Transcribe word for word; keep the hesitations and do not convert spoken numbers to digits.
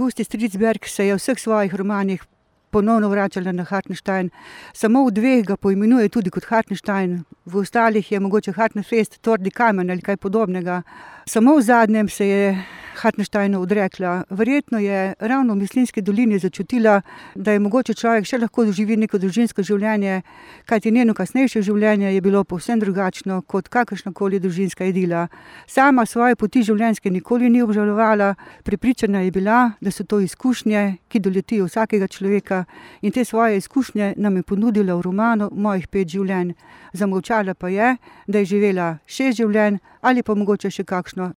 Pusti Stridsberg se je v vseh svojih romanih ponovno vračala na Hartenstein. Samo v dveh ga poimenuje tudi kot Hartenstein, v ostalih je mogoče Hartenfest, Trdi kamen ali kaj podobnega. Samo v zadnjem se je Hartensteinu odrekla. Verjetno je ravno v Mislinjski dolini začutila, da je mogoče človek še lahko doživi neko družinsko življenje, kajti njeno kasnejše življenje je bilo povsem drugačno kot kakršnakoli družinska idila. Sama svoje poti življenjske nikoli ni obžalovala, prepričana je bila, da so to izkušnje, ki doletijo vsakega človeka, in te svoje izkušnje nam je ponudila v romanu Mojih pet življenj. Zamolčala pa je, da je živela šest življenj ali pa mogoče še kakšno